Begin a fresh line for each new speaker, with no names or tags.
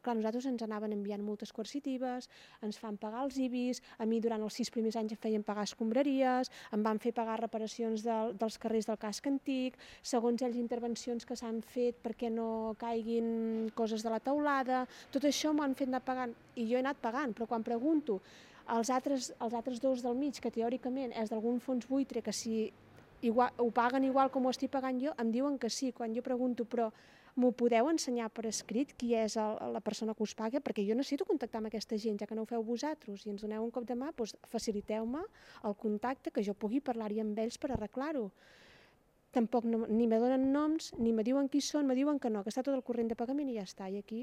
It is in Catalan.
Clar, nosaltres ens anaven enviant multes coercitives, ens fan pagar els IBIs, a mi durant els 6 primers anys em feien pagar escombraries, em van fer pagar reparacions dels carrers del casc antic, segons ells intervencions que s'han fet perquè no caiguin coses de la teulada, tot això m'ho han fet anar pagant i jo he anat pagant, però quan pregunto els altres dos del mig, que teòricament és d'algun fons buitre, que si ho paguen igual com ho estic pagant jo, em diuen que sí. Quan jo pregunto, però m'ho podeu ensenyar per escrit qui és la persona que us paga? Perquè jo necessito contactar amb aquesta gent, ja que no ho feu vosaltres i ens doneu un cop de mà, doncs faciliteu-me el contacte, que jo pugui parlar-hi amb ells per arreglar-ho. Tampoc ni me donen noms, ni me diuen qui són, me diuen que no, que està tot el corrent de pagament i ja està. I aquí